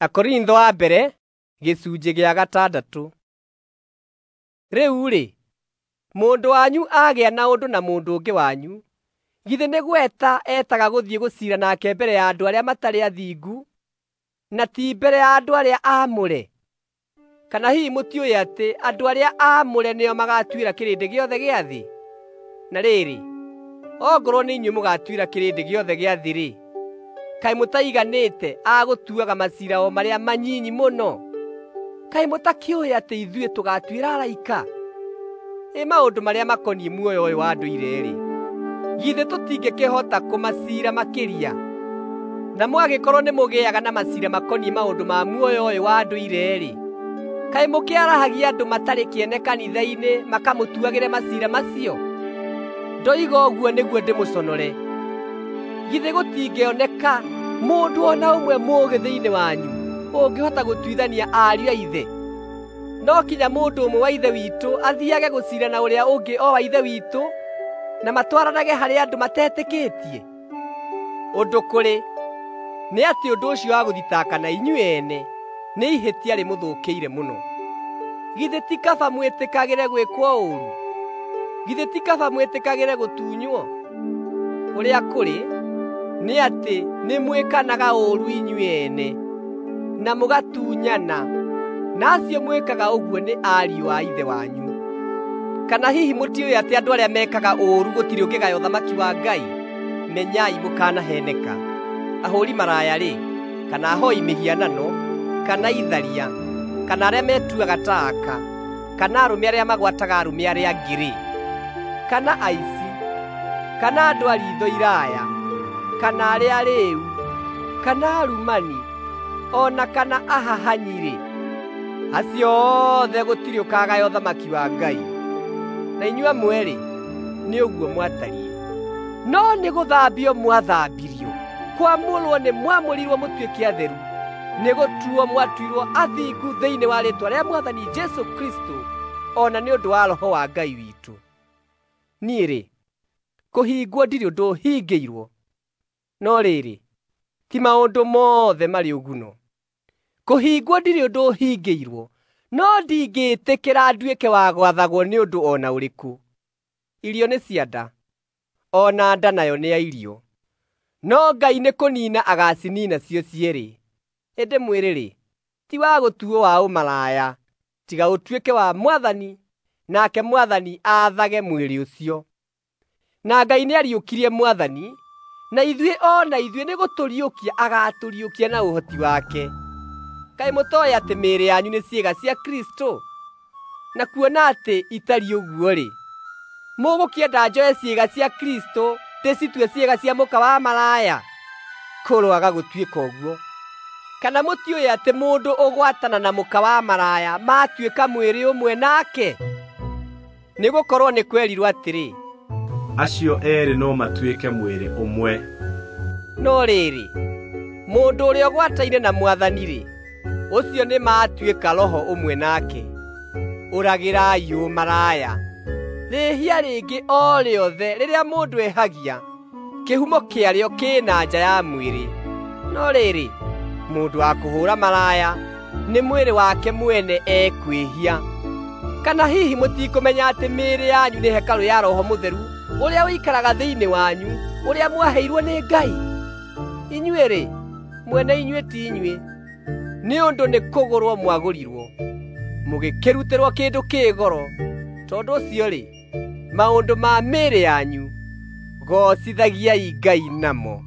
Akorintho wa mbere gĩcunjĩ gĩa gatandatũ. Rĩu-rĩ, mũndũ wanyu agĩa na ũndũ na mũndũ ũngĩ wanyu, githĩ nĩ gweta etaga gũthiĩ gũciira nake mbere ya andũ arĩa matarĩ athingu, na ti mbere ya andũ arĩa aamũre? Kana hihi mũtiũĩ atĩ andũ arĩa aamũre nĩo magatuĩra kĩrĩndĩ gĩothe gĩa thĩ? Na rĩrĩ, ongorwo nĩ inyuĩ mũgatuĩra kĩrĩndĩ gĩothe gĩa thĩ-rĩ, kaĩ mũtaiganĩte a gũtuaga maciira o marĩa manyinyi mũno? Kaĩ mũtakĩũĩ atĩ ithuĩ tũgaatuĩra araika? Ĩ maũndũ marĩa makoniĩ muoyo ũyũ wa ndũire-rĩ, githĩ tũtingĩkĩhota kũmaciira makĩria? Na mwagĩkorwo nĩmũgĩaga na maciira makoniĩ maũndũ ma muoyo ũyũ wa ndũire-rĩ, kaĩ mũkĩarahagia andũ matarĩ kĩene kanitha-inĩ makamũtuagĩre maciira macio? Ndoiga ũguo nĩguo ndĩmũconore. Githĩ gũtingĩoneka mũndũ o na ũmwe mũũgĩ thĩinĩ wanyu ũngĩhota gũtuithania ariũ a ithe? No kinya mũndũ ũmwe wa ithe witũ athiage gũciira na ũrĩa ũngĩ o wa ithe witũ, na matwaranage harĩ andũ matetĩkĩtie? Ũndũ kũrĩ nĩ atĩ ũndũ ũcio wa gũthitakana inyuĩ ene nĩ ihĩtia rĩmũthũkĩire mũno. Githĩ ti kaba mwĩtĩkagĩre gwĩkwo ũũru? Githĩ ti kaba mwĩtĩkagĩre gũtunywo? Ũrĩa kũrĩ nĩ atĩ nĩmwĩkanaga ũũru inyuĩ ene, na mũgatunyana, na acio mwĩkaga ũguo nĩ ariũ a ithe wanyu. Kana hihi mũtiũĩ atĩ andũ arĩa mekaga ũũru gũtirĩ ũngĩgaya ũthamaki wa Ngai? Menyai mũkanaheneka. Ahũũri maraya-rĩ, kana ahoi mĩhianano, kana itharia, kana arĩa metuaga ta aka, kana arũme arĩa magwataga arũme arĩa angĩ-rĩ, kana aici, kana andũ a riitho iraya, kana arĩa arĩĩu, kana arumani, o na kana ahahanyi-rĩ, acio othe gũtirĩ ũkagaya ũthamaki wa Ngai. Na inyuĩ amwe-rĩ, nĩ ũguo mwatariĩ. No nĩ gũthambio mwathambirio, kwamũrwo nĩ mwamũrirwo mũtuĩke atheru, nĩ gũtuo mwatuirwo athingu thĩinĩ wa rĩĩtwa rĩa Mwathani Jesũ Kristũ, o na nĩ ũndũ wa Roho wa Ngai witũ. Niĩ-rĩ, kũhingwo ndirĩ ũndũ hingĩirwo, no rĩrĩ, ti maũndũ mothe marĩ ũguno. Kũhingwo ndirĩ ũndũ hingĩirwo, no ndingĩĩtĩkĩra nduĩke wa gwathagwo nĩ ũndũ o na ũrĩkũ. Irio nĩ cia nda, o na nda nayo nĩ ya irio, no Ngai nĩ kũniina agaciniina cio cierĩ. Ĩndĩ mwĩrĩ-rĩ, ti wa gũtuo wa ũmaraya, tiga ũtuĩke wa Mwathani, nake Mwathani aathage mwĩrĩ ũcio. Na Ngai nĩariũkirie Mwathani, na ithuĩ o na ithuĩ nĩgũtũriũkia agaatũriũkia na ũhoti wake. Kaĩ mũtooĩ atĩ mĩĩrĩ yanyu nĩ ciĩga cia Kristũ? Na kuona atĩ itariĩ ũguo-rĩ, mũgũkĩenda njoe ciĩga cia Kristũ ndĩcitue ciĩga cia mũka wa maraya? Kũroaga gũtuĩka ũguo! Kana mũtiũĩ atĩ mũndũ ũgwatana na mũka wa maraya matuĩka mwĩrĩ ũmwe nake? Nĩgũkorwo nĩ kwerirwo atĩrĩ, acio eerĩ no matuĩke mwĩrĩ ũmwe. No rĩrĩ, mũndũ ũrĩa ũgwataine na Mwathani-rĩ, ũcio nĩ matuĩka roho ũmwe nake. Ũragĩrai ũmaraya. Rĩhia rĩngĩ o rĩothe rĩrĩa mũndũ ehagia, kĩhumo kĩarĩo kĩ na nja ya mwĩrĩ. No rĩrĩ, mũndũ wa kũhũũra maraya nĩ mwĩrĩ wake mwene ekwĩhia. Kana hihi mũtikũmenya atĩ mĩĩrĩ yanyu nĩ hekarũ ya Roho Mũtheru ũrĩa ũikaraga thĩinĩ wanyu, ũrĩa mwaheirwo nĩ Ngai? Inyuĩ-rĩ, mwene inyuĩ ti inyuĩ, nĩ ũndũ nĩ kũgũrwo mwagũrirwo, mũgĩkĩrutĩrwo kĩndũ kĩ goro. Tondũ ũcio-rĩ, maũndũ ma mĩĩrĩ yanyu goocithagiai Ngai namo.